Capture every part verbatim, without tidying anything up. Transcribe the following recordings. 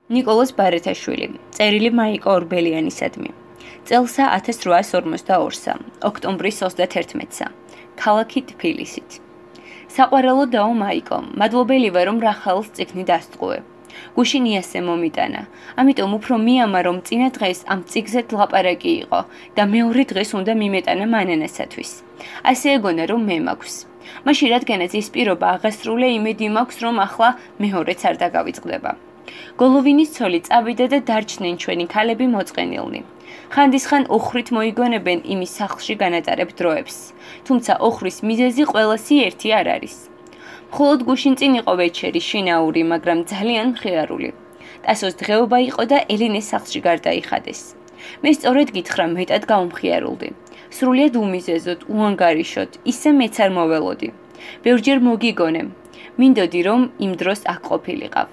ნიკოლოზ ბარათაშვილი, წერილი მაიკო ორბელიანისადმი. წელსა ათას რვაას ორმოცდაორსა, ოქტომბრის ოცდათერთმეტსა, ქალაქი თბილისით. საყვარელო დაო მაიკო, მადლობელი ვარ, რომ რახალს წიგნი დასტყუე. გუშინ იასე მომიტანა, ამიტომ უფრო მიამა, რომ წინა დღეს ამ წიგზეთ ლაპარაკი იყო და მეორე დღეს უნდა მიმეტანა მანანასათვის. ასე ეგონა, რომ მე მაქვს. მაშინ რადგანაც ის პირობა აღასრულე, იმედი მაქვს, რომ ახლა მეორეც არ დაგავიწყდება. გოლოვინის ცოლი წავიდა და დარჩნენ ჩვენი ქალები მოწყენილნი. ხანდისხან ოხრით მოიგონებენ იმის სახლში განატარებ დროებს, თუმცა ოხრის მიზეზი ყველასი ერთი არ არის. მხოლოდ გუშინ წინ იყო ვეჩერი შინაური, მაგრამ ძალიან მხიარული. ტასოს დღეობა იყო და ელინეს სახლში გარდაიხადეს. მე სწორედ გითხრა, მეტად გავმხიარულდი. სრულიად უმიზეზოდ, უანგარიშოდ, ისე მეც არ მოველოდი. ბევრჯერ მოგიგონე, მინდოდი რომ იმ დროს აქ ყოფილიყავ.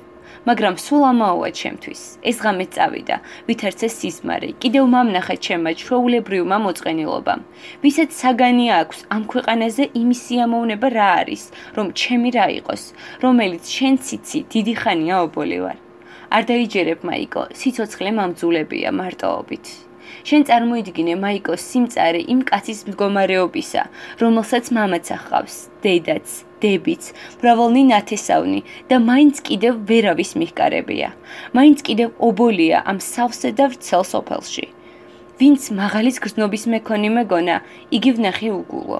მაგრამ სულ ამაოა ჩემთვის. ეს ღამე წავიდა, ვითარცე სიზმარი, კიდევ მამნახა ჩემმა ჩვეულებრივმა მოწყენილობამ. ვისაც საგანი აქვს ამ ქვეყანაზე იმის სიამოვნება რა არის, რომ ჩემი რა იყოს, რომელიც შენ ციცი დიდი ხანია ობოლი ვარ. არ დაიჯერებ მაიკო, სიცოცხლე მამძულებია მარტოობით. შენ წარმოიდგინე მაიკო სიმწარე იმ კაცის მდგომარეობისა, რომელსაც მამაც ახავს, დედაც, დებიც, მრავალნი ნათესავნი და მაინც კიდევ ვერავის მიხკარებია. მაინც კიდევ ობოლია ამ სავსე და ვრცელ სოფელში. ვინც მაღალის გრძნობის მეკონი მეგონა, იგი ვნახე უგულო.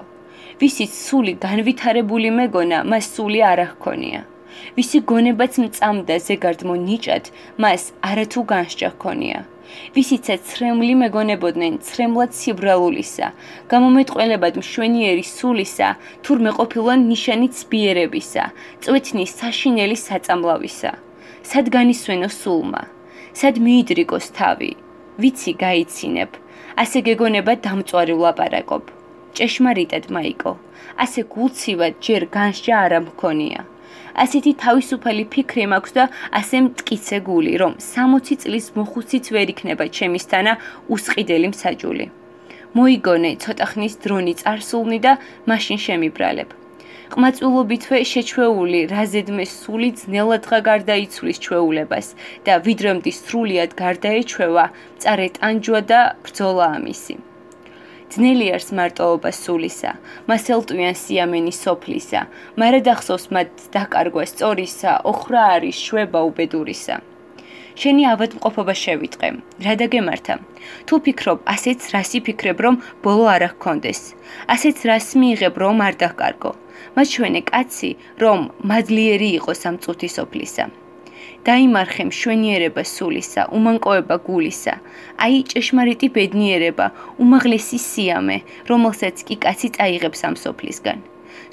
ვისიც სული განვითარებული მეგონა, მას სული არ ჰქონია. ვისი გონებაც მწამდა ზეგარდმო ნიჭად, მას არათუ განსჯა ჰქონია. ვისიცაც ცრემლი მეგონებოდნენ ცრემლად სიბრალულისა, გამომეტყველებად მშვენიერი სულისა, თურმე ყოფილან ნიშანი ცბიერებისა, წვეთნის საშინელი საწამლავისა. სად განისვენო სულმა? სად მიიდრიკოს თავი? ვიცი გაიცინებ, ასე გეგონება დამწვარი ვლაპარაკობ. ჭეშმარიტად მაიკო, ასე გულცივად ჯერ განსჯა არა მქონია. ასეთი თავისუფალი ფიქრი მაქვს და ასე მტკიცე გული, რომ სამოცი წლის მოხუციც ვერ იქნება ჩემისთანა უსყიდელი მსაჯული. მოიგონე ცოტა ხნის დრონი წარსულნი და მაშინ შემიბრალებ. ყმაწვილობითვე შეჩვეული რაზედმე სული ძნელადღა გარდაიცვლის ჩვეულებას და ვიდრემდე სრულიად გარდაეჩვევა, მწარე ტანჯვა და ბრძოლა ამისი. ძნელი არის მარტოობა სულისა, მას ელტვიან სიამენი სოფლისა, მარად ახსოვს მათ დაკარგვა სწორისა, ოხრა არის შვება უბედურისა. შენი ავადმყოფობა შევიტყე, რა დაგემართა? თუ ფიქრობ, ასეც რას იფიქრებ, რომ ბოლო არ ჰქონდეს, ასეც რას მიიღებ, რომ არ დაკარგო. მაჩვენე კაცი, რომ მადლიერი იყოს ამ წუთი სოფლისა. დაიმარხე მშვენიერება სულისა, უმანკოება გულისა, აი ჭეშმარიტი ბედნიერება, უმაღლესი სიამე, რომელსაც კი კაცი წაიღებს ამ სოფლისგან.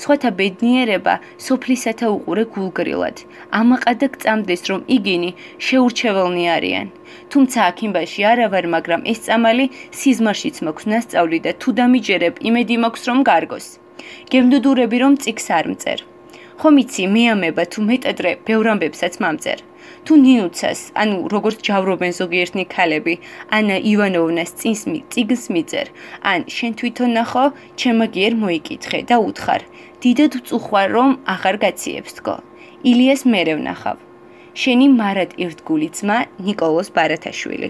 სხვათა ბედნიერება სოფლისათა უყურე გულგრილად, ამაყადა გწამდეს, რომ იგინი შეურჩეველნი არიან. თუმცა აქიმბაში არა ვარ, მაგრამ ეს წამალი სიზმარშიც მაქვს ნასწავლი და თუ დამიჯერებ, იმედი მაქვს, რომ გარგოს. გემდუდურები, რომ წიგს არ მწერ. ხომ იცი, მეამება თუ მეტადრე ბევრ ამბებსაც მამწერ. თუ ნინუცას, ანუ როგორც ჯავრობენ ზოგიერთნი ქალები, ანა ივანოვნას წინს წიგნს მიწერ, ან შენ თვითონ ნახო, ჩემაგიერ მოიკითხე და უთხარ, დიდად ვწუხვარ, რომ აღარ გაციებს თქო. ილიას მერე ვნახავ. შენი მარად ერთგული ძმა ნიკოლოზ ბარათაშვილი.